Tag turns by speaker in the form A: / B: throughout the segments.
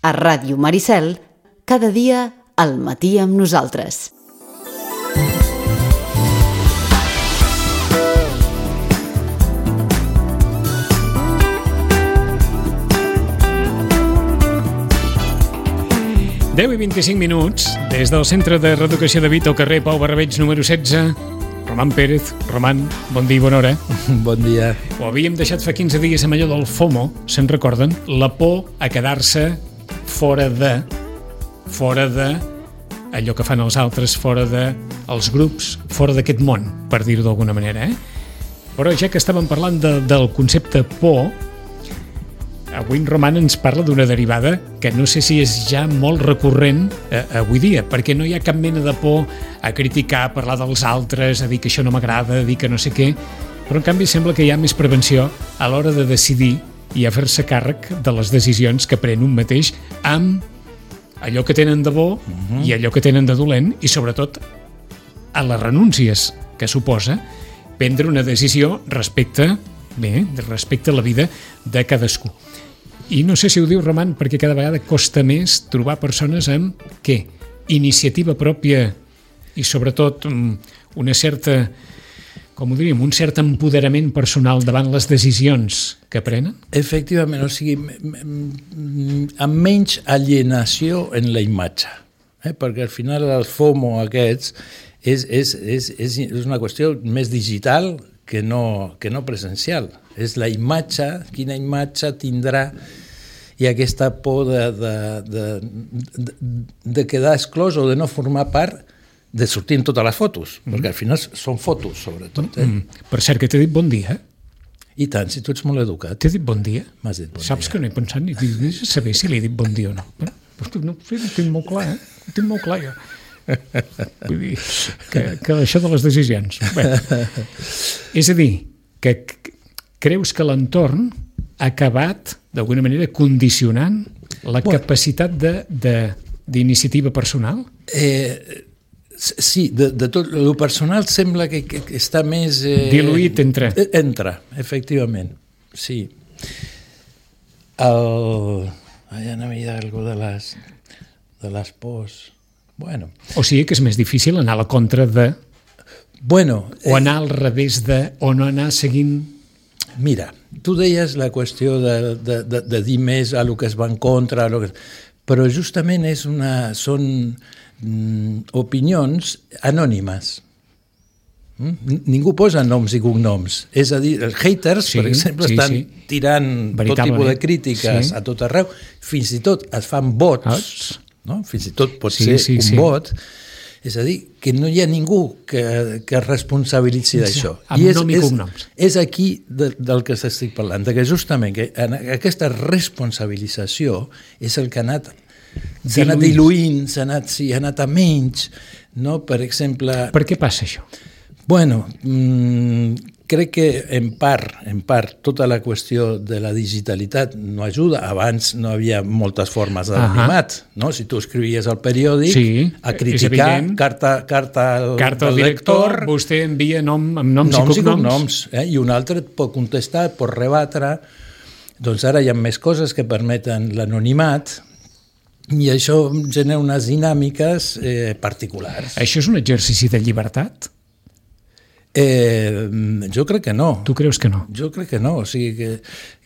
A: A Ràdio Maricel, cada dia al matí amb nosaltres.
B: Deu i 25 minuts, des del Centre de Reeducació de Vita al carrer Pau Barrabeig número 16. Roman Pérez. Roman, bon dia i bona hora.
C: Bon dia.
B: Ho havíem deixat fa 15 dies amb allò del FOMO, se'n recorden? La por a quedar-se fora de allò que fan els altres, fora dels grups, fora d'aquest món, per dir-ho d'alguna manera. Però ja que estàvem parlant del concepte por, avui en Roman ens parla d'una derivada que no sé si és ja molt recurrent avui dia, perquè no hi ha cap mena de por a criticar, a parlar dels altres, a dir que això no m'agrada, a dir que no sé què, però en canvi sembla que hi ha més prevenció a l'hora de decidir i a fer-se càrrec de les decisions que pren un mateix amb allò que tenen de bo i allò que tenen de dolent, i sobretot a les renúncies que suposa prendre una decisió respecte a la vida de cadascú. I no sé si ho diu Roman perquè cada vegada costa més trobar persones amb iniciativa pròpia i sobretot una certa, com ho diríem, un cert empoderament personal davant les decisions que prenen?
C: Efectivament, o sigui, amb menys alienació en la imatge, perquè al final el FOMO aquests és una qüestió més digital que no presencial. És la imatge, quina imatge tindrà, i aquesta por de quedar exclòs o de no formar part de sortir en totes les fotos, perquè al final són fotos, sobretot.
B: Per cert, que t'he dit bon dia.
C: I tant, si tu ets molt educat.
B: T'he dit bon dia?
C: M'has dit bon dia.
B: Saps que no he pensat ni saber si li he dit bon dia o no. No ho tinc molt clar, Ho tinc molt clar, jo. Vull dir, que això de les decisions. Bé, és a dir, que creus que l'entorn ha acabat, d'alguna manera, condicionant la capacitat d'iniciativa personal? Sí, de tot. El personal sembla que està més... diluït entre.
C: Entra, efectivament, sí. Ja no havia algo de les pors. Bueno.
B: O sigui que és més difícil anar a la contra de... o anar al revés de... o no anar seguint...
C: Mira, tu deies la qüestió de dir més a lo que es va en contra, però justament són opinions anònimes. Ningú posa noms i cognoms. És a dir, els haters, per exemple, estan tirant tot tipus de crítiques a tot arreu. Fins i tot es fan vots, no? Fins i tot pot ser un vot. És a dir, que no hi ha ningú que es responsabilitzi d'això.
B: Amb nom i cognoms.
C: És aquí del que estic parlant, que justament aquesta responsabilització és el que ha anat diluint, ha anat a menys, no? Per exemple...
B: Per què passa això?
C: Bueno, crec que en part tota la qüestió de la digitalitat no ajuda. Abans no havia moltes formes d'anonimat, no? Si tu escrivies al periòdic a criticar, carta al lector,
B: vostè envia amb noms i cognoms.
C: I un altre et pot contestar, pot rebatre. Doncs ara hi ha més coses que permeten l'anonimat, i això genera unes dinàmiques particulars.
B: Això és un exercici de llibertat?
C: Jo crec que no.
B: Tu creus que no?
C: Jo crec que no, o sigui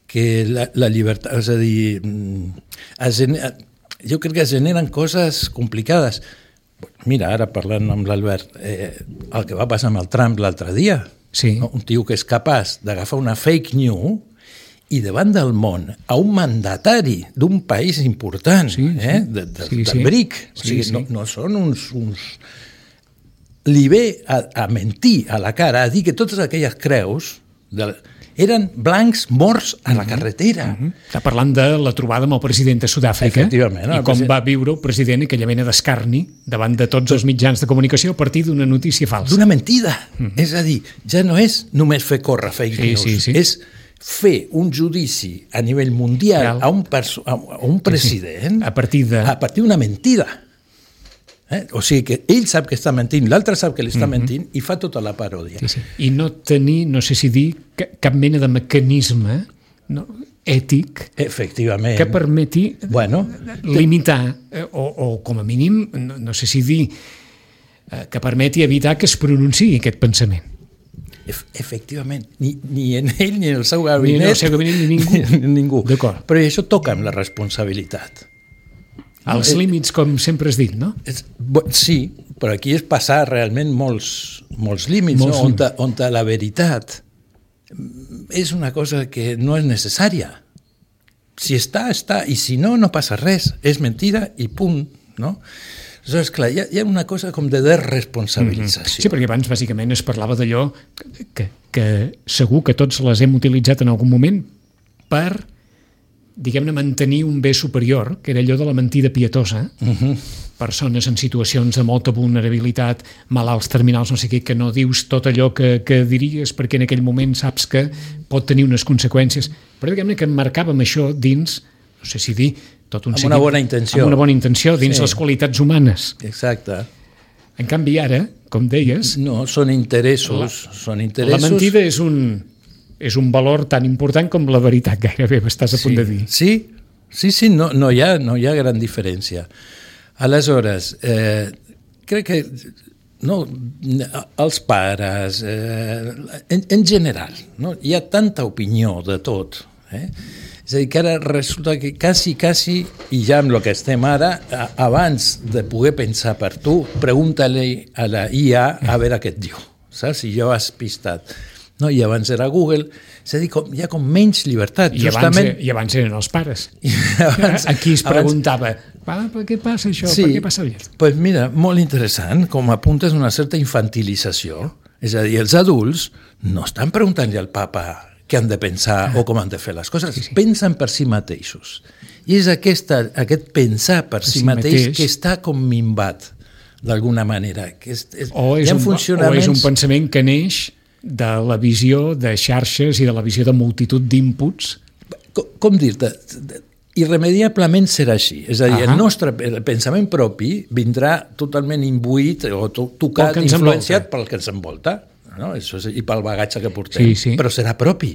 C: que la llibertat, és a dir, jo crec que es generen coses complicades. Mira, ara parlant amb l'Albert, el que va passar amb el Trump l'altre dia, un tio que és capaç d'agafar una fake news i davant del món a un mandatari d'un país important, del BRIC, o sigui, no són uns li ve a mentir a la cara, a dir que totes aquelles creus eren blancs morts a la carretera.
B: Està parlant de la trobada amb el president de Sud-àfrica i com va viure el president aquella mena d'escarni davant de tots els mitjans de comunicació a partir d'una notícia falsa.
C: D'una mentida. És a dir, ja no és només fer córrer fake news, és fer un judici a nivell mundial a un president
B: a partir
C: d'una mentida. O sigui que ell sap que està mentint, l'altre sap que li està mentint i fa tota la paròdia.
B: I no tenir, no sé si dir, cap mena de mecanisme ètic,
C: efectivament,
B: que permeti limitar, o com a mínim, no sé si dir, que permeti evitar que es pronunciï aquest pensament.
C: Efectivament, ni en ell ni en el seu gabinet,
B: ni en el seu gabinet ni ningú.
C: D'acord. Però això toca amb la responsabilitat.
B: Els límits, com sempre has dit, no?
C: Sí, però aquí és passar realment molts límits, on la veritat és una cosa que no és necessària. Si està, i si no, no passa res. És mentida i punt, no? Aleshores, clar, hi ha una cosa com de desresponsabilització.
B: Sí, perquè abans bàsicament es parlava d'allò que segur que tots les hem utilitzat en algun moment per, diguem-ne, mantenir un bé superior, que era allò de la mentida pietosa. Persones en situacions de molta vulnerabilitat, malalts terminals, no sé què, que no dius tot allò que diries perquè en aquell moment saps que pot tenir unes conseqüències. Però diguem-ne que emmarcàvem això dins, no sé si dir, amb
C: una bona intenció.
B: Amb una bona intenció, dins les qualitats humanes.
C: Exacte.
B: En canvi, ara, com deies...
C: No, són interessos.
B: La mentida és un valor tan important com la veritat, gairebé, m'estàs a punt de dir.
C: Sí, no hi ha gran diferència. Aleshores, crec que els pares, en general, hi ha tanta opinió de tot, és a dir, que ara resulta que quasi, i ja amb el que estem ara, abans de poder pensar per tu, pregunta-li a la IA a veure què et diu, saps? Si jo has pistat. No? I abans era Google, és a dir, hi ha com menys llibertat.
B: I abans eren els pares. Aquí es preguntava, per què passa això? Per què passa allò?
C: Doncs mira, molt interessant, com apuntes una certa infantilització. És a dir, els adults no estan preguntant-li al papa què han de pensar o com han de fer les coses. Pensen per si mateixos. I és aquest pensar per si mateix que està com minvat, d'alguna manera.
B: O és un pensament que neix de la visió de xarxes i de la visió de multitud d'inputs.
C: Com dir-te? Irremediablement serà així. És a dir, el nostre pensament propi vindrà totalment imbuït o tocat, influenciat pel que ens envolta. No? I pel bagatge que portem, però serà propi.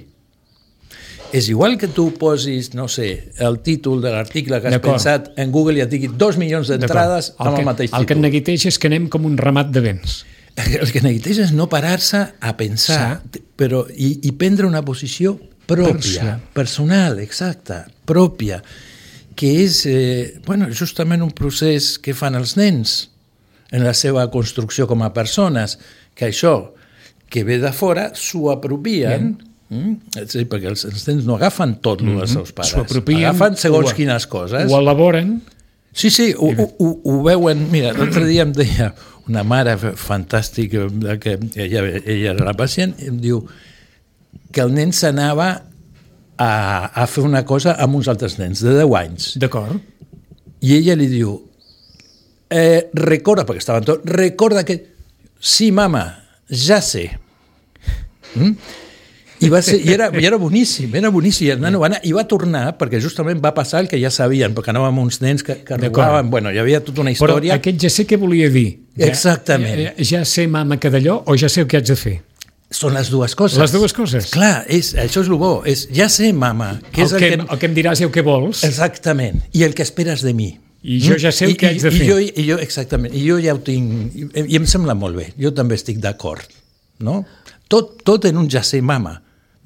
C: És igual que tu posis, no sé, el títol de l'article que has pensat en Google i et digui 2 milions d'entrades amb el mateix títol.
B: El que et neguiteja és que anem com un ramat de vents.
C: El que neguiteja és no parar-se a pensar però, i prendre una posició pròpia, personal, exacta, pròpia, que és justament un procés que fan els nens en la seva construcció com a persones, que això que ve de fora s'ho apropien, és a dir, perquè els nens no agafen tot el dels seus pares, agafen segons quines coses.
B: Ho elaboren.
C: Sí, ho veuen. Mira, l'altre dia em deia una mare fantàstica, que ella era la pacient, em diu que el nen s'anava a fer una cosa amb uns altres nens de 10 anys.
B: D'acord.
C: I ella li diu, recorda, perquè estaven tots, recorda que... Sí, mama, ja sé. I era boníssim, I el nano va anar, i va tornar, perquè justament va passar el que ja sabien, perquè anàvem amb uns nens que robaven, hi havia tota una història.
B: Però aquest ja sé què volia dir.
C: Exactament.
B: Ja sé, mama, que d'allò, o ja sé el que haig de fer?
C: Són les dues coses.
B: Les dues coses.
C: Clar, això és el bo. Ja sé, mama, que és
B: el que em diràs i el que vols.
C: Exactament. I el que esperes de mi.
B: I jo ja sé el que haig de fer.
C: Exactament. I jo ja ho tinc... I em sembla molt bé. Jo també estic d'acord. No? Tot en un ja sé, mama.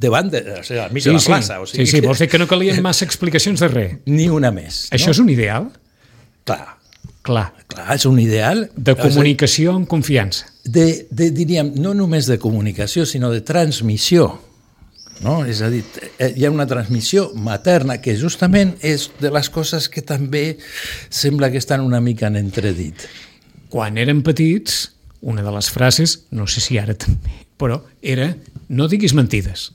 C: Davant de la mitja de la plaça.
B: Sí, vols dir que no calien massa explicacions de res.
C: Ni una més.
B: Això és un ideal?
C: Clar, és un ideal.
B: De comunicació amb confiança.
C: Diríem, no només de comunicació, sinó de transmissió. No? És a dir, hi ha una transmissió materna que justament és de les coses que també sembla que estan una mica en entredit.
B: Quan érem petits, una de les frases, no sé si ara també, però era no diguis mentides.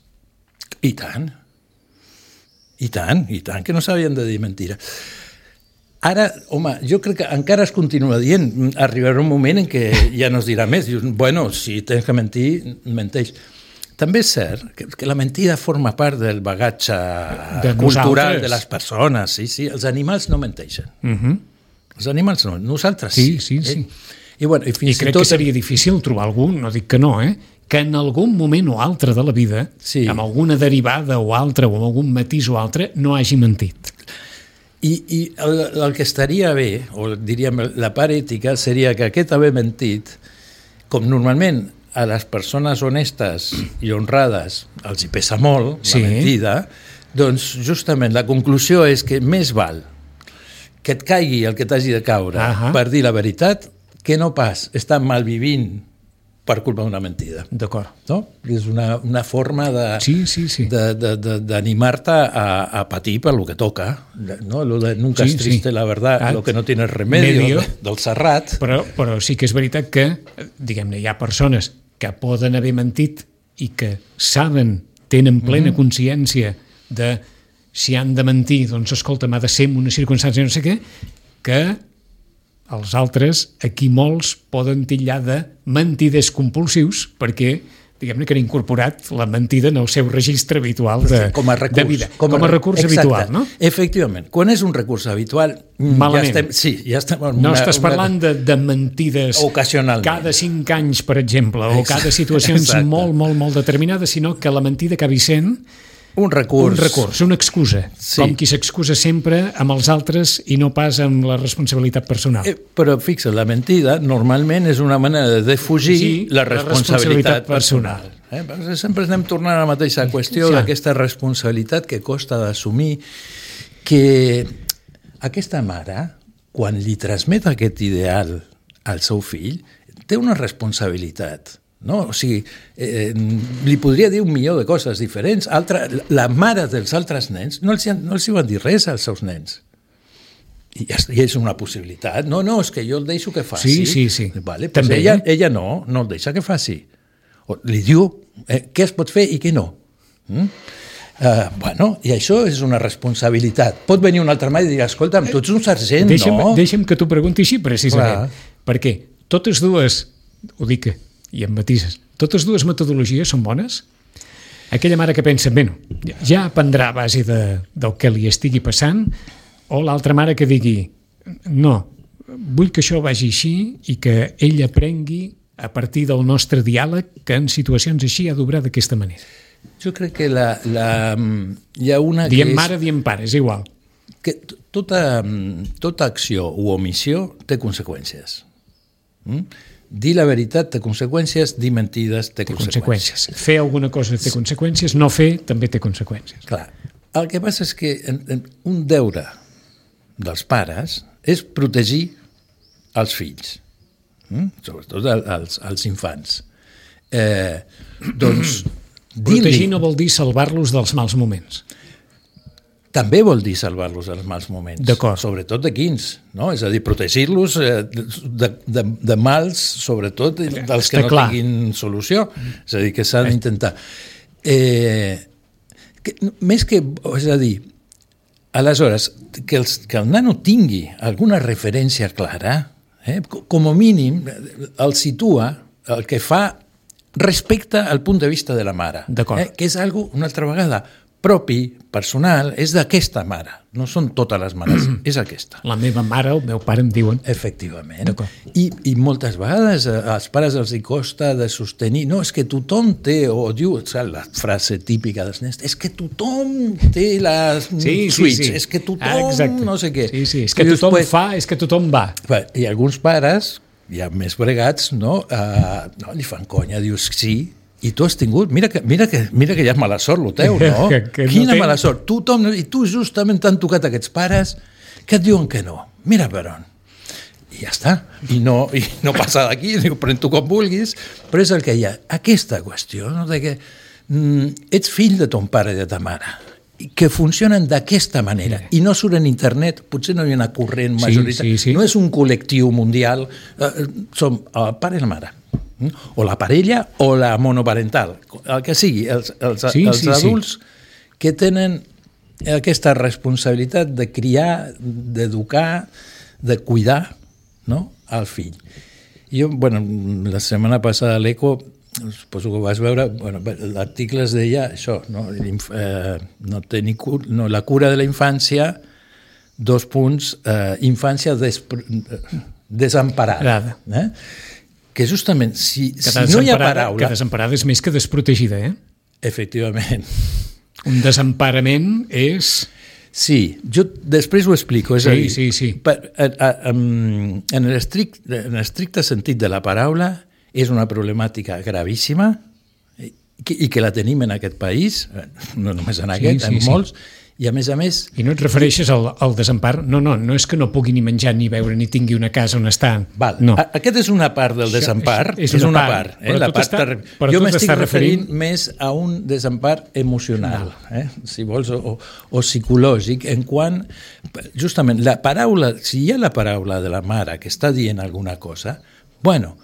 C: I tant, que no s'havien de dir mentira. Ara, home, jo crec que encara es continua dient, arribarà un moment en què ja no es dirà més. Dius, si tens que mentir, menteix. També és cert que la mentida forma part del bagatge cultural de les persones. Sí, els animals no menteixen. Els animals no, nosaltres sí.
B: I crec que seria difícil trobar algú, no dic que no, que en algun moment o altre de la vida, amb alguna derivada o altra, o amb algun matís o altre, no hagi mentit.
C: I el que estaria bé, o diríem la part ètica, seria que aquest haver mentit, com normalment a les persones honestes i honrades els hi pesa molt la mentida, doncs justament la conclusió és que més val que et caigui el que t'hagi de caure per dir la veritat que no pas estar malvivint per culpa d'una mentida.
B: D'acord.
C: No? És una forma d'animar-te a patir per lo que toca. No? Lo de nunca es triste la verdad, lo que no tienes remedio, del Serrat.
B: Però sí que és veritat que, diguem-ne, hi ha persones que poden haver mentit i que tenen plena consciència de si han de mentir, doncs escolta, m'ha de ser en una circumstància no sé què, que els altres, aquí molts, poden titllar de mentiders compulsius perquè, diguem-ne, que han incorporat la mentida en el seu registre habitual de vida. Com a recurs habitual, no?
C: Efectivament. Quan és un recurs habitual...
B: Malament.
C: Ja estem
B: no estàs parlant de mentides cada 5 anys, per exemple, o cada situacions molt, molt, molt determinades, sinó que la mentida acabi sent
C: un recurs,
B: una excusa, com qui s'excusa sempre amb els altres i no pas amb la responsabilitat personal.
C: Però fixa, la mentida normalment és una manera de defugir la responsabilitat personal. Sempre anem tornant a la mateixa qüestió d'aquesta responsabilitat que costa d'assumir, que aquesta mare, quan li transmet aquest ideal al seu fill, té una responsabilitat. No? O sigui, li podria dir 1.000.000 de coses diferents. La mare dels altres nens no els hi van dir res als seus nens. I és una possibilitat. No, és que jo el deixo que faci.
B: Sí.
C: Vale, pues ella no el deixa que faci. Li diu què es pot fer i què no. I això és una responsabilitat. Pot venir un altre mare i dir, escolta'm, tu ets un sergent, no?
B: Deixa'm que t'ho pregunti així, precisament. Perquè totes dues, ho dic i em matises, totes dues metodologies són bones? Aquella mare que pensa, ja aprendrà a base del que li estigui passant, o l'altra mare que digui, no, vull que això vagi així i que ell aprengui a partir del nostre diàleg que en situacions així ha d'obrar d'aquesta manera.
C: Jo crec que hi ha una
B: que és... Diem mare, diem pare, és igual.
C: Que tota acció o omissió té conseqüències. Dir la veritat té conseqüències, dir mentides té conseqüències.
B: Fer alguna cosa té conseqüències, no fer també té conseqüències.
C: Clar. El que passa és que un deure dels pares és protegir els fills, sobretot els infants. Doncs
B: protegir no vol dir salvar-los dels mals moments.
C: També vol dir salvar-los dels mals moments.
B: D'acord.
C: Sobretot de quins, no? És a dir, protegir-los de mals, sobretot dels que no tinguin solució. És a dir, que s'ha d'intentar. Més que, és a dir, aleshores, que el nano tingui alguna referència clara, com a mínim el situa, el que fa respecte al punt de vista de la mare.
B: D'acord.
C: Que és una altra vegada propi, personal, és d'aquesta mare. No són totes les mares, és aquesta.
B: La meva mare o el meu pare em diuen.
C: Efectivament. I moltes vegades als pares els hi costa de sostenir, no, és que tothom té, o diu, la frase típica dels nens, és que tothom té les suites, és que tothom no sé què.
B: Sí, és que tothom fa, és que tothom va.
C: I alguns pares, ja més bregats, li fan conya, dius, sí, i tu has tingut, mira que ja és mala sort el teu, no? Quina mala sort. I tu justament t'han tocat aquests pares que et diuen que no. Mira per on. I ja està. I no passa d'aquí, pren-t'ho com vulguis, però és el que hi ha. Aquesta qüestió, no? De que ets fill de ton pare i de ta mare, que funcionen d'aquesta manera i no surt en internet, potser no hi ha una corrent majoritària, no és un col·lectiu mundial, som el pare i la mare, o la parella o la monoparental, el que sigui, els adults que tenen aquesta responsabilitat de criar, d'educar, de cuidar, no?, al fill. Jo, la setmana passada a l'Eco, suposo que ho vas veure, l'article es deia això, no? La cura de la infància, infància desemparada. Que justament, si no hi ha paraula...
B: Que desemparada és més que desprotegida,
C: Efectivament.
B: Un desemparament és...
C: Sí, jo després ho explico. És a dir,
B: sí.
C: En l'estricte sentit de la paraula, és una problemàtica gravíssima i que la tenim en aquest país, no només en aquest, en molts, i a més...
B: I no et refereixes al desempar? No és que no pugui ni menjar ni beure ni tingui una casa on estar.
C: No. Aquest és una part del desempar, és una part. Jo m'estic referint més a un desempar emocional, si vols, o psicològic, en quant, justament, la paraula, si hi ha la paraula de la mare que està dient alguna cosa, bueno,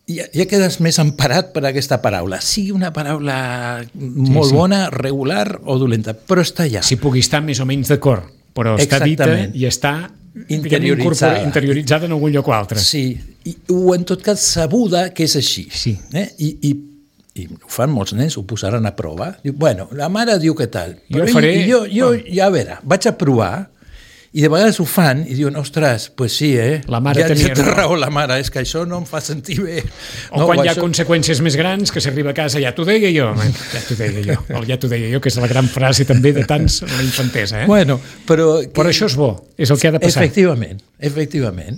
C: ja quedes més emparat per aquesta paraula. Sigui una paraula molt bona, regular o dolenta, però està allà.
B: Si pugui estar més o menys d'acord, però està dita i està interioritzada en algun lloc o altre.
C: Sí, o en tot cas sabuda que és així.
B: Sí.
C: I ho fan molts nens, ho posaran a prova. Diu, bueno, la mare diu què tal. Jo, ja a veure, vaig a provar. I de vegades ho fan i diuen, ostres, pues sí,
B: la mare
C: ja té raó la mare, és que això no em fa sentir bé.
B: O quan hi ha conseqüències més grans, que s'arriba a casa, ja t'ho deia jo, que és la gran frase també de tants a la infantesa.
C: Bueno, però
B: això és bo, és el que ha de passar.
C: Efectivament.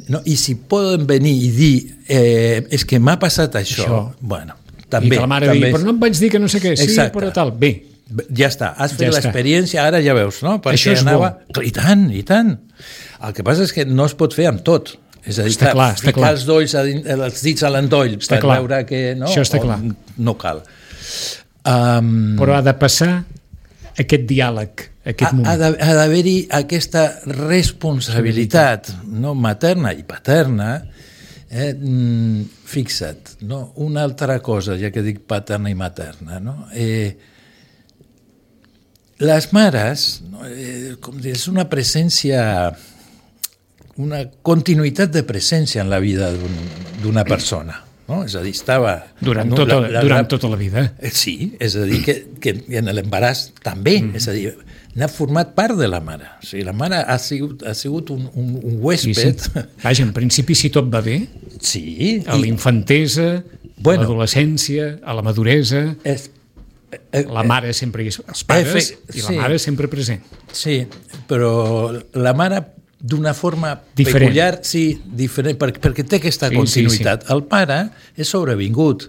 C: No? I si poden venir i dir, és que m'ha passat això. Bueno, també.
B: I que la mare digui, però no em vaig dir que no sé què, sí, però tal, bé.
C: Ja està, has fet l'experiència, ara ja veus, no? Perquè
B: això és bo.
C: I tant. El que passa és que no es pot fer amb tot. És a dir, ficar els dits a l'endoll per veure que
B: això està clar.
C: No cal.
B: Però ha de passar aquest diàleg, aquest moment.
C: Ha d'haver-hi aquesta responsabilitat materna i paterna. Fixa't, una altra cosa, ja que dic paterna i materna, les mares, com dir, és una presència, una continuïtat de presència en la vida d'una persona. És a dir, estava...
B: Durant tota la vida.
C: Sí, és a dir, que en l'embaràs també, és a dir, n'ha format part de la mare. O sigui, la mare ha sigut un huésped.
B: Sí. Vaja, en principi, si tot va bé,
C: sí,
B: a l'infantesa, a l'adolescència, a la maduresa... La mare sempre hi és, els pares i la mare sempre present.
C: Sí, però la mare d'una forma peculiar, diferent, perquè té aquesta continuïtat. El pare és sobrevingut.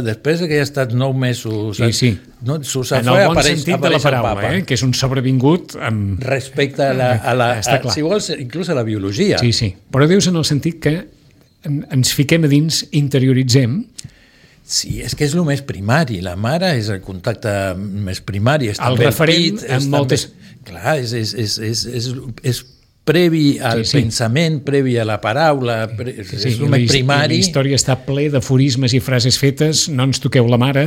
C: Després que ja ha estat 9 mesos...
B: En el bon sentit de la paraula, que és un sobrevingut...
C: Respecte si vols, inclús a la biologia.
B: Sí. Però dius en el sentit que ens fiquem a dins, interioritzem...
C: Sí, és que és el més primari. La mare és el contacte més primari.
B: El referent en moltes...
C: Clar, és previ al pensament, previ a la paraula, és el més primari.
B: La història està ple d'aforismes i frases fetes, no ens toqueu la mare,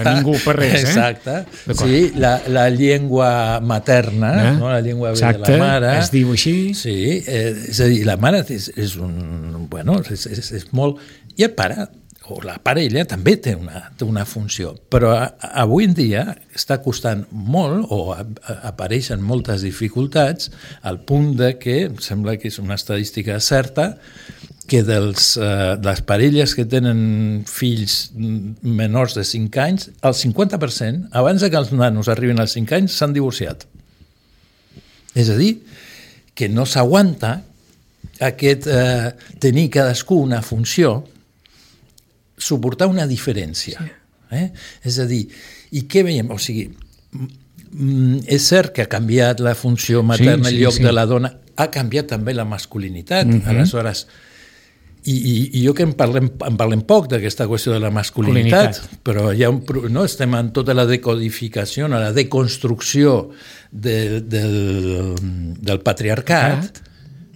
B: ningú per res.
C: Exacte. Sí, la llengua materna, la llengua de la mare.
B: Es diu així.
C: Sí, és a dir, la mare és molt... I el pare... o la parella també té una funció, però avui en dia està costant molt o apareixen moltes dificultats al punt de que, sembla que és una estadística certa, que de les parelles que tenen fills menors de 5 anys, el 50%, abans que els nanos arribin als 5 anys, s'han divorciat. És a dir, que no s'aguanta aquest tenir cadascú una funció, suportar una diferència. És a dir, i què veiem? O sigui, és cert que ha canviat la funció materna, el lloc de la dona, ha canviat també la masculinitat. Aleshores, i jo que en parlem poc d'aquesta qüestió de la masculinitat, però hi ha estem en tota la decodificació, la deconstrucció del patriarcat.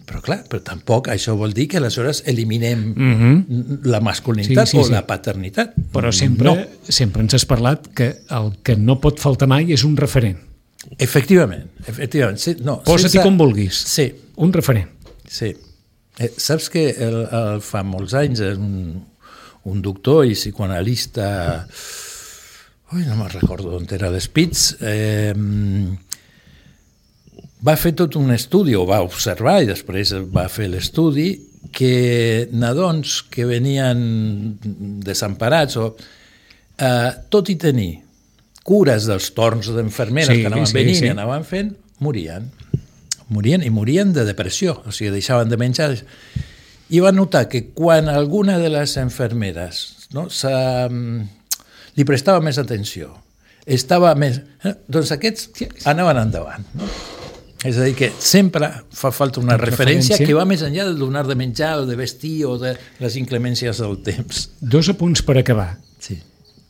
C: Però clar, tampoc això vol dir que aleshores eliminem la masculinitat o la paternitat.
B: Però sempre ens has parlat que el que no pot faltar mai és un referent.
C: Efectivament.
B: Posa-t'hi com vulguis.
C: Sí.
B: Un referent.
C: Sí. Saps que fa molts anys un doctor i psicoanalista, no me'n recordo on era l'Spitz, va fer tot un estudi, o va observar i després va fer l'estudi, que nadons que venien desemparats, tot i tenir cures dels torns d'enfermeres que anaven venint i anaven fent, morien i morien de depressió, o sigui, deixaven de menjar. I va notar que quan alguna de les enfermeres li prestava més atenció, estava més... doncs aquests anaven endavant, no? És a dir, que sempre fa falta una referència que va més enllà del donar de menjar o de vestir o de les inclemències del temps.
B: 2 apunts per acabar.
C: Sí.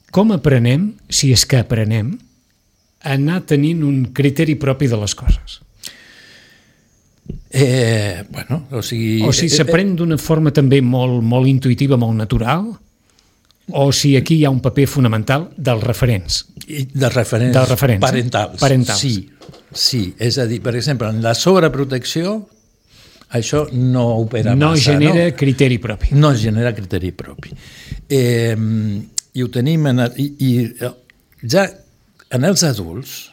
B: Com aprenem, si és que aprenem, a anar tenint un criteri propi de les coses?
C: O sigui
B: s'aprèn d'una forma també molt intuïtiva, molt natural, o si aquí hi ha un paper fonamental dels referents.
C: Dels referents parentals. Sí, és a dir, per exemple, en la sobreprotecció això no opera massa.
B: No genera criteri propi.
C: No genera criteri propi. I ho tenim... I ja en els adults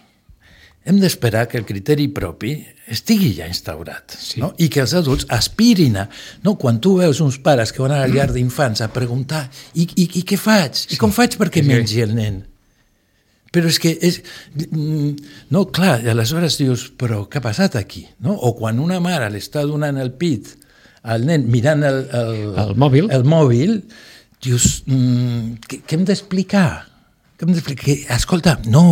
C: hem d'esperar que el criteri propi estigui ja instaurat, no? I que els adults aspirin a... No? Quan tu veus uns pares que van a la llar d'infants a preguntar i què faig? I com faig perquè mengi el nen? Però és que... No, clar, i aleshores dius, però què ha passat aquí? No? O quan una mare li està donant el pit al nen mirant el mòbil, dius, què hem d'explicar? Escolta, no,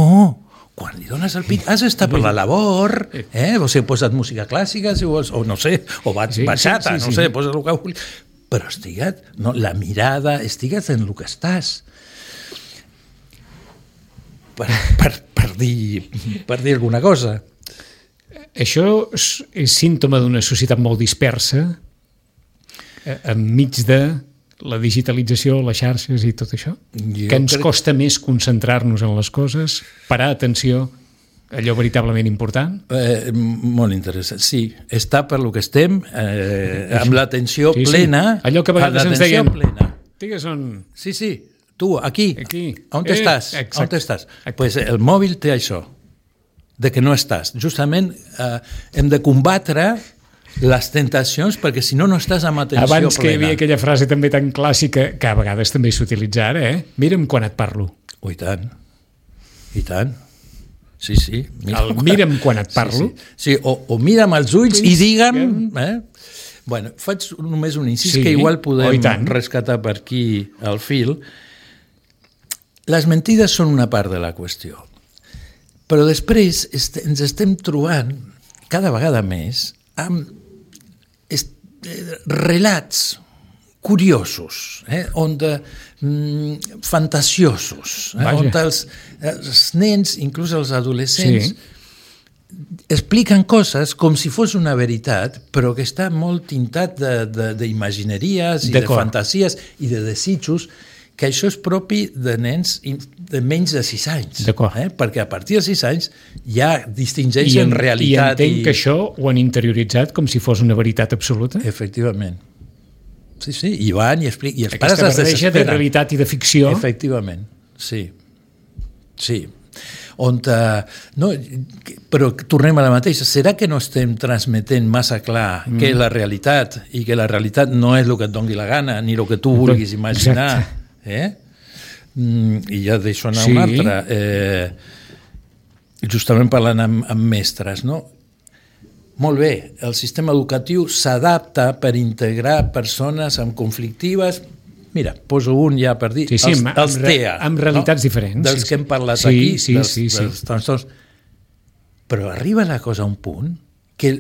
C: quan li dones el pit has d'estar per la labor, o sigui, posa't música clàssica, si vols, o no sé, o bachata, no sé, posa't el que vulguis, però estigua't, la mirada, estigua't en el que estàs. Per dir alguna cosa.
B: Això és símptoma d'una societat molt dispersa enmig de la digitalització, les xarxes i tot això? Que ens costa més concentrar-nos en les coses, parar atenció a allò veritablement important?
C: Molt interessant, sí. Està per lo que estem, amb l'atenció plena.
B: Allò que a vegades ens deien... Digues on...
C: Sí. Tu, aquí. On estàs? On estàs? Pues el mòbil té això, de que no estàs. Justament hem de combatre les tentacions perquè si no estàs amb atenció plena.
B: Abans que hi havia aquella frase també tan clàssica que a vegades també s'utilitza ara, Mira'm quan et parlo.
C: I tant. Sí.
B: Mira'm quan et parlo.
C: Sí. O mira'm als ulls i digue'm... Bueno, faig només un incís que igual podem rescatar per aquí el fil. Les mentides són una part de la qüestió, però després ens estem trobant cada vegada més amb relats curiosos, fantasiosos, on els nens, inclús els adolescents, expliquen coses com si fos una veritat, però que està molt tintat d'imagineries i de fantasies i de desitjos, que això és propi de nens de menys de 6 anys. Perquè a partir de 6 anys ja distingeixen realitat.
B: I entenc que això ho han interioritzat com si fos una veritat absoluta?
C: Efectivament. Sí, i van i expliquen.
B: Aquesta barreja de realitat i de ficció.
C: Efectivament, sí. Però tornem a la mateixa. Serà que no estem transmetent massa clar què és la realitat i que la realitat no és el que et doni la gana ni el que tu vulguis imaginar? I ja deixo anar una altra. Justament parlant amb mestres, no? Molt bé, el sistema educatiu s'adapta per integrar persones amb conflictives. Mira, poso un ja per dir, els TEA.
B: Amb realitats diferents.
C: Dels que hem parlat aquí, dels trastorns. Però arriba la cosa a un punt que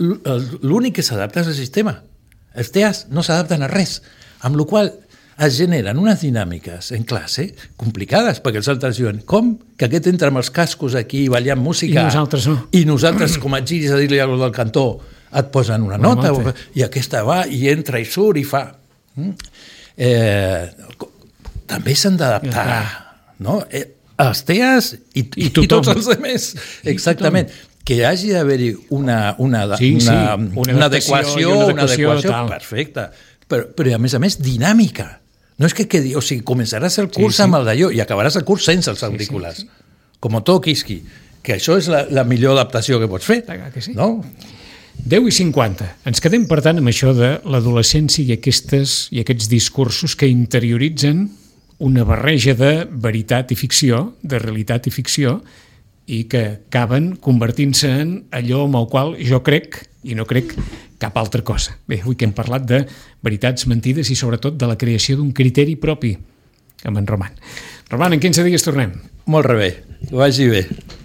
C: l'únic que s'adapta és el sistema. Els TEAs no s'adapten a res, amb la qual es generen unes dinàmiques en classe complicades, perquè els altres diuen com que aquest entra amb els cascos aquí ballant música
B: i nosaltres no.
C: I nosaltres com et giris a dir-li alguna cosa del cantó et posen una nota i aquesta va i entra i surt i fa... també s'han d'adaptar, no? Els TEAs i tots els altres. Exactament. Que hi hagi d'haver-hi una adequació, perfecta, però a més dinàmica. No és que quedi, o sigui, començaràs el curs amb el d'allò i acabaràs el curs sense els auriculars, com Otto Kiski. que això és la millor adaptació que pots fer.
B: Que sí.
C: No?
B: 10:50. Ens quedem, per tant, amb això de l'adolescència i aquests discursos que interioritzen una barreja de veritat i ficció, de realitat i ficció, i que acaben convertint-se en allò amb el qual jo crec, i no crec cap altra cosa. Bé, avui que hem parlat de veritats, mentides i sobretot de la creació d'un criteri propi amb en Roman. Roman, en 15 dies tornem.
C: Molt bé, que vagi bé.